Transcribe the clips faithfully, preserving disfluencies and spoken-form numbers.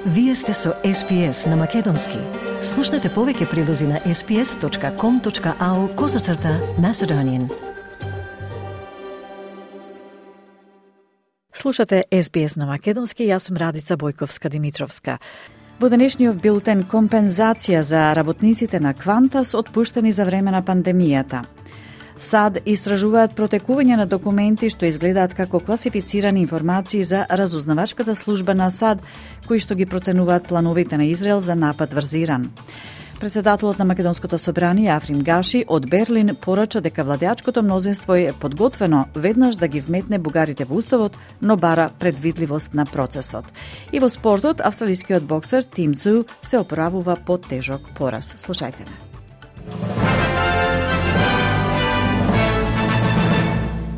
Вие сте со Ес Би Ес на Македонски. Слушнете повеќе прилози на ес би ес точка ком точка ау козацрта Macedonian. Слушате Ес Би Ес на Македонски, јас сум Радица Бојковска-Димитровска. Во денешниот билтен компензација за работниците на Квантас отпуштени за време на пандемијата. САД истражуваат протекување на документи што изгледаат како класифицирани информации за разузнавачката служба на САД, кои што ги проценуваат плановите на Израел за напад врз Иран. Председателот на Македонското собрание Африм Гаши од Берлин порача дека владеачкото мнозинство е подготвено веднаш да ги вметне бугарите во уставот, но бара предвидливост на процесот. И во спортот, австралискиот боксер Тим Цзу се оправува по тежок пораз. Слушајте не.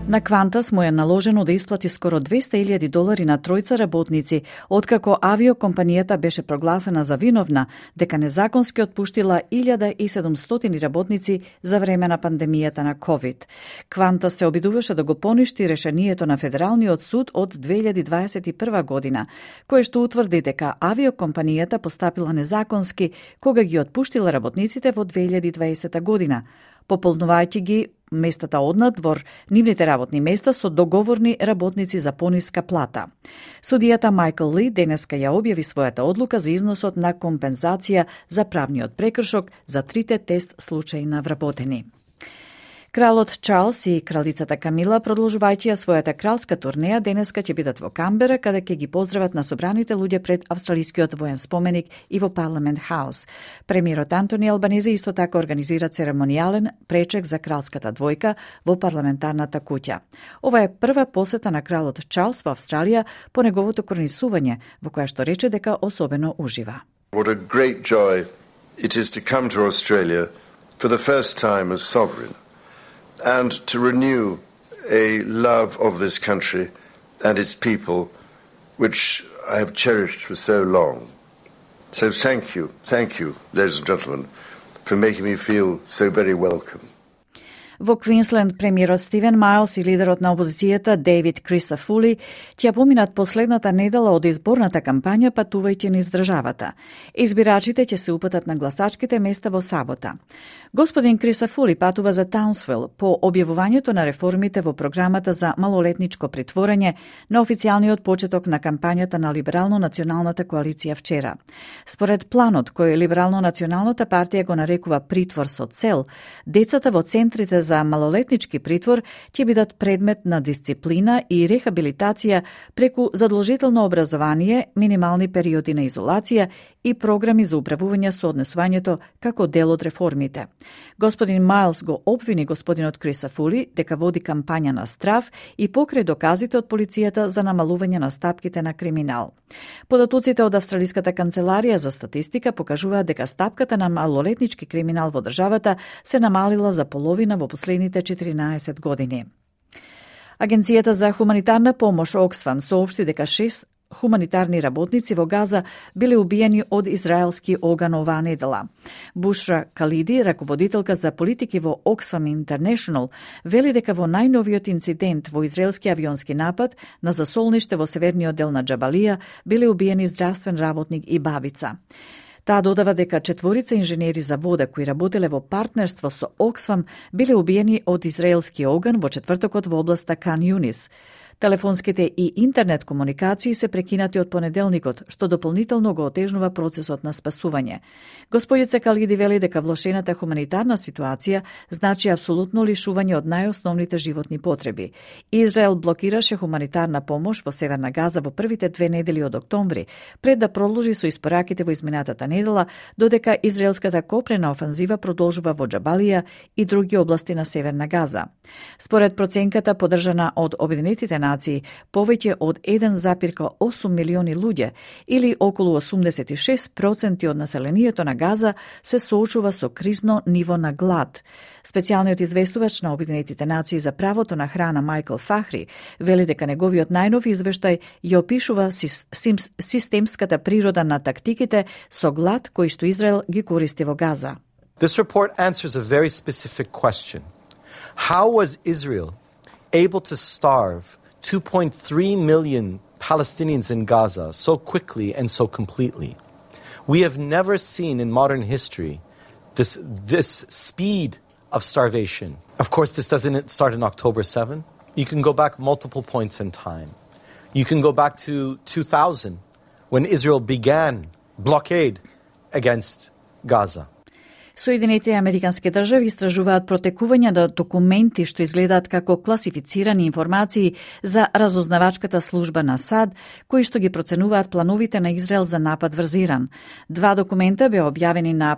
На Квантас му е наложено да исплати скоро двесте илјади долари на тројца работници, откако авиокомпанијата беше прогласена за виновна дека незаконски отпуштила илјада и седумстотини работници за време на пандемијата на ковид. Квантас се обидуваше да го поништи решението на Федералниот суд од две илјади дваесет и прва година, кое што утврди дека авиокомпанијата постапила незаконски кога ги отпуштила работниците во две илјади дваесета година, пополнувајќи ги местата однадвор нивните работни места со договорни работници за пониска плата. Судијата Майкл Ли денеска ја објави својата одлука за износот на компензација за правниот прекршок за трите тест случаи на вработени. Кралот Чарлс и кралицата Камила, продолжувајќи ја својата кралска турнеја, денеска ќе бидат во Камбера, каде ќе ги поздрават на собраните луѓе пред австралискиот воен споменик и во Парламент Хаус. Премиерот Антони Албанезе исто така организира церемонијален пречек за кралската двојка во парламентарната куќа. Ова е прва посета на кралот Чарлс во Австралија по неговото коронисување, во која што рече дека особено ужива. What a great joy it is to come to Australia for the first time as sovereign, and to renew a love of this country and its people, which I have cherished for so long. So thank you, thank you, ladies and gentlemen, for making me feel so very welcome. Во Квинсленд, премиерот Стивен Мајлс и лидерот на опозицијата Дейвид Крисафули ќе поминат последната недела од изборната кампања патувајќи низ државата. Избирачите ќе се упатат на гласачките места во сабота. Господин Крисафули патува за Таунсвил по објавувањето на реформите во програмата за малолетничко притворање на официјалниот почеток на кампањата на Либерално-националната коалиција вчера. Според планот кој Либерално-националната партија го нарекува притвор со цел, децата во центрите за малолетнички притвор ќе бидат предмет на дисциплина и рехабилитација преку задолжително образование, минимални периоди на изолација и програми за управување со однесувањето како дел од реформите. Господин Мајлс го обвини господинот Крисафули дека води кампања на страф и покрај доказите од полицијата за намалување на стапките на криминал. Податоците од Австралиската канцеларија за статистика покажуваат дека стапката на малолетнички криминал во државата се намалила за половина во последните четиринаесет години. Агенцијата за хуманитарна помош Оксфам соопшти дека шест хуманитарни работници во Газа биле убиени од израелски оган оваа недела. Бушра Калиди, раководителка за политики во Оксфам International, вели дека во најновиот инцидент во израелски авионски напад на засолниште во северниот дел на Џабалија биле убиени здравствен работник и бабица. Таа додава дека четворица инженери за вода кои работеле во партнерство со Оксфам биле убиени од израелски оган во четвртокот во областа Кан Юнис. Телефонските и интернет комуникации се прекинати од понеделникот, што дополнително го отежнува процесот на спасување. Господица Калиди вели дека влошената хуманитарна ситуација значи апсолутно лишување од најосновните животни потреби. Израел блокираше хуманитарна помош во Северна Газа во првите две недели од октомври, пред да продолжи со испораките во изминатата недела, додека израелската копнена офанзива продолжува во Џабалија и други области на Северна Газа. Според проценката подржана од Обединетите нации, повеќе од еден запирка осум милиони луѓе, или околу осумдесет и шест проценти од населението на Газа, се соочува со кризно ниво на глад. Специјалниот известувач на Обединетите нации за правото на храна Майкл Фахри вели дека неговиот најнов извештај ја опишува системската природа на тактиките со глад кои што Израел ги користи во Газа. This report answers a very specific question. How was Israel able to starve two point three million Palestinians in Gaza so quickly and so completely. We have never seen in modern history this, this speed of starvation. Of course, this doesn't start on October seventh. You can go back multiple points in time. You can go back to two thousand, when Israel began blockade against Gaza. Соединетите американски држави истражуваат протекување на документи што изгледаат како класифицирани информации за разузнавачката служба на САД, кои што ги проценуваат плановите на Израел за напад врз Иран. Два документа беа објавени на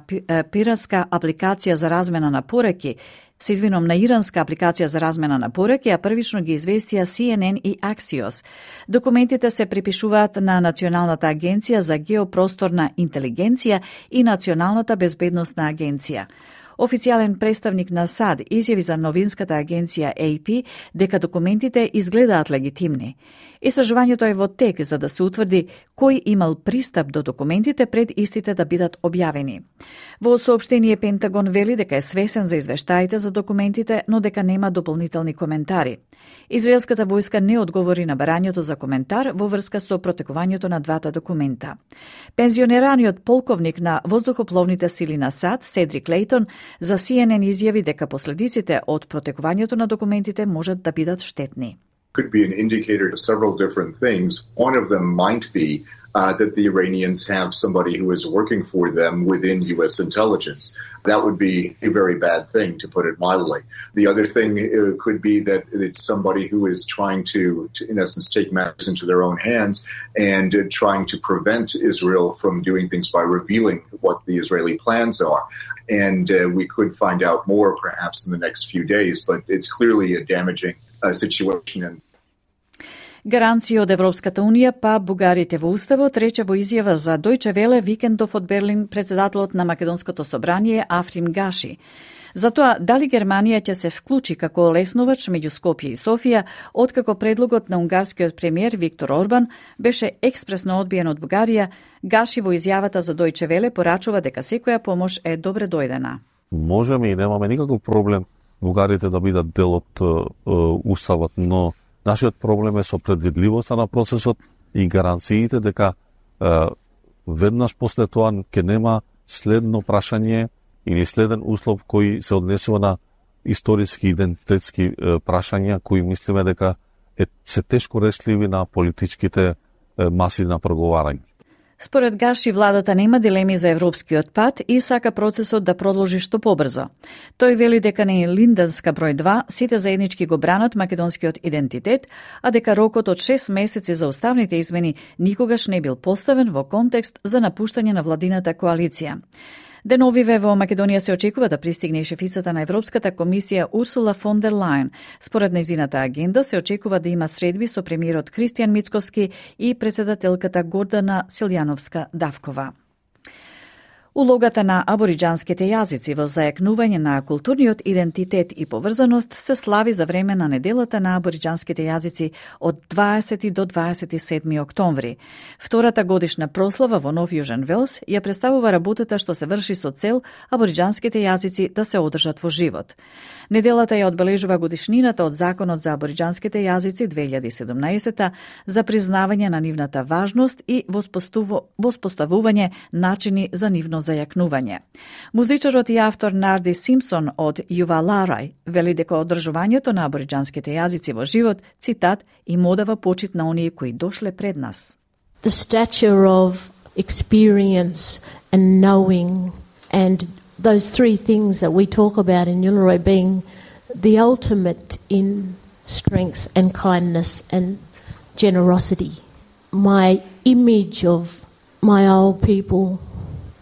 пиратска апликација за размена на пораки, се извинам на иранска апликација за размена на пораки, а првично ги известија Си Ен Ен и Axios. Документите се припишуваат на Националната агенција за геопросторна интелигенција и Националната безбедносна агенција. Официјален представник на САД изјави за новинската агенција Ей Пи дека документите изгледаат легитимни. Истражувањето е во тек за да се утврди кој имал пристап до документите пред истите да бидат објавени. Во соопштение Пентагон вели дека е свесен за извештаите за документите, но дека нема дополнителни коментари. Израелската војска не одговори на барањето за коментар во врска со протекувањето на двата документа. Пензионераниот полковник на воздухопловните сили на САД, Седрик Лейтон, за Си Ен Ен изјави дека последиците од протекувањето на документите можат да бидат штетни. Could be an indicator of several different things. One of them might be uh, that the Iranians have somebody who is working for them within U S intelligence. That would be a very bad thing, to put it mildly. The other thing uh, could be that it's somebody who is trying to, to in essence, take matters into their own hands and uh, trying to prevent Israel from doing things by revealing what the Israeli plans are. And uh, we could find out more perhaps in the next few days, but it's clearly a damaging uh, situation. And Гаранција од Европската Унија па бугарите во Уставот, рече во изјава за Дојче Веле викендов од Берлин председателот на Македонското собрание Африм Гаши. Затоа, дали Германија ќе се вклучи како лесновач меѓу Скопје и Софија, откако предлогот на унгарскиот премиер Виктор Орбан беше експресно одбиен од Бугарија, Гаши во изјавата за Дојче Веле порачува дека секоја помош е добре дојдена. Можеме и немаме никаков проблем бугарите да бидат дел од Уставот, но нашиот проблем е со предвидливоста на процесот и гаранциите дека е, веднаш после тоа ќе нема следно прашање или следен услов кој се однесува на историски идентитетски е, прашања кои мислиме дека е, се тешко решливи на политичките е, маси на преговарање. Според Гаши, владата нема дилеми за европскиот пат и сака процесот да продолжи што побрзо. Тој вели дека не е Линденска број два, сите заеднички го бранат македонскиот идентитет, а дека рокот од шест месеци за уставните измени никогаш не бил поставен во контекст за напуштање на владината коалиција. Деновиве во Македонија се очекува да пристигне и шефицата на Европската комисија Урсула фон дер Лајен. Според нејзината агенда се очекува да има средби со премиерот Кристијан Мицковски и председателката Гордана Силјановска-Давкова. Улогата на абориџанските јазици во зајакнување на културниот идентитет и поврзаност се слави за време на неделата на абориџанските јазици од дваесети до дваесет и седми октомври. Втората годишна прослава во Нов Јужен Велс ја представува работата што се врши со цел абориџанските јазици да се одржат во живот. Неделата ја одбележува годишнината од Законот за абориџанските јазици две илјади и седумнаесета за признавање на нивната важност и воспоставување начини за нивно зајакнување. Музичарот и автор Нарди Симпсон од Јуваларај вели дека одржувањето на абориџанските јазици во живот, цитат, им одава почит на оние кои дошле пред нас. The stature of experience and knowing and those three things that we talk about in Uluru being the ultimate in strength and kindness and generosity. My image of my old people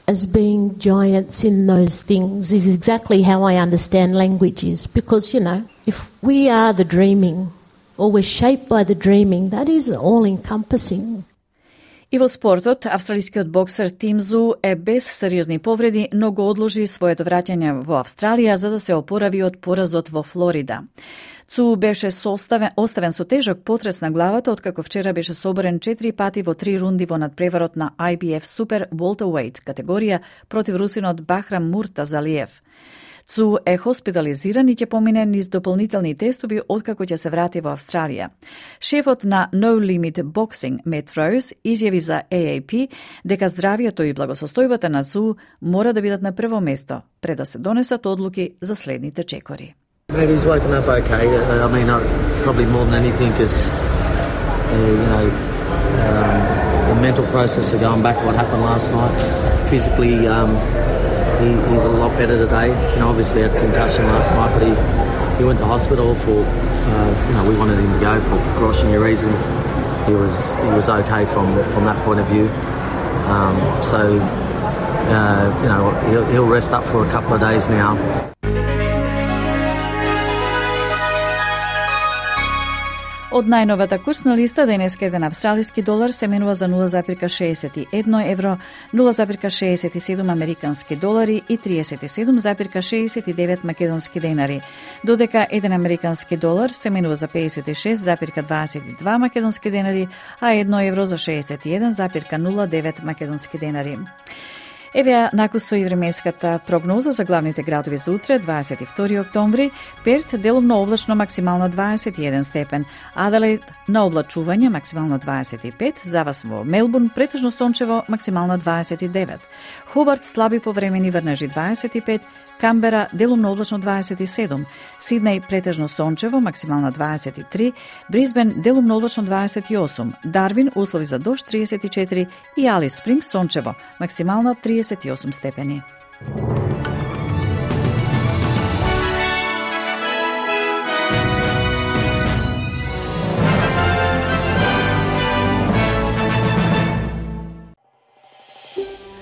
as being giants in those things is exactly how I understand languages, because, you know, if we are the dreaming or we're shaped by the dreaming, that is all-encompassing. И во спортот, австралискиот боксер Тим Зу е без сериозни повреди, но го одложи своето враќање во Австралија за да се опорави од поразот во Флорида. Цу беше составен, оставен со тежок потрес на главата, откако вчера беше соборен четири пати во три рунди во надпреварот на Ай Би Еф Супер Welterweight категорија против русинот Бахрам Муртазалиев. Цу е хоспитализиран и ќе помине низ дополнителни тестови откако ќе се врати во Австралија. Шефот на No Limit Boxing, Matt Rose, изјави за A A P дека здравието и благосостојбата на Цу мора да бидат на прво место пред да се донесат одлуки за следните чекори. Maybe he's woken up okay. Uh, I mean, uh, probably more than anything, because uh, you know um, the mental process of going back to what happened last night. Physically, um, he, he's a lot better today. You know, obviously had concussion last night, but he, he went to hospital for uh, you know we wanted him to go for precautionary reasons. He was he was okay from from that point of view. Um, so uh, you know he'll, he'll rest up for a couple of days now. Од најновата курсна листа денеска еден австралиски долар се менува за нула запирка шеесет и едно евро, нула запирка шеесет и седум американски долари и триесет и седум запирка шеесет и девет македонски денари, додека еден американски долар се менува за пеесет и шест запирка дваесет и два македонски денари, а едно евро за шеесет и еден запирка нула девет македонски денари. Еве накусо и временската прогноза за главните градови за утре, дваесет и втори октомври. Перт делумно облачно, максимално дваесет и еден степен. Аделаид на облачување, максимално дваесет и пет. За вас во Мелбурн претежно сончево, максимално дваесет и девет. Хобарт слаби повремени врнежи дваесет и пет. Камбера делумно облачно дваесет и седум, Сиднеј претежно сончево, максимално дваесет и три, Брисбен делумно облачно дваесет и осум, Дарвин услови за дожд триесет и четири и Алис Спрингс сончево, максимално триесет и осум степени.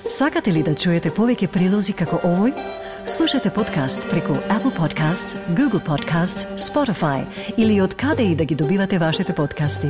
Сакате ли да чуете повеќе прилози како овој? Слушате подкаст преку Apple Podcasts, Google Podcasts, Spotify или од каде и да ги добивате вашите подкасти.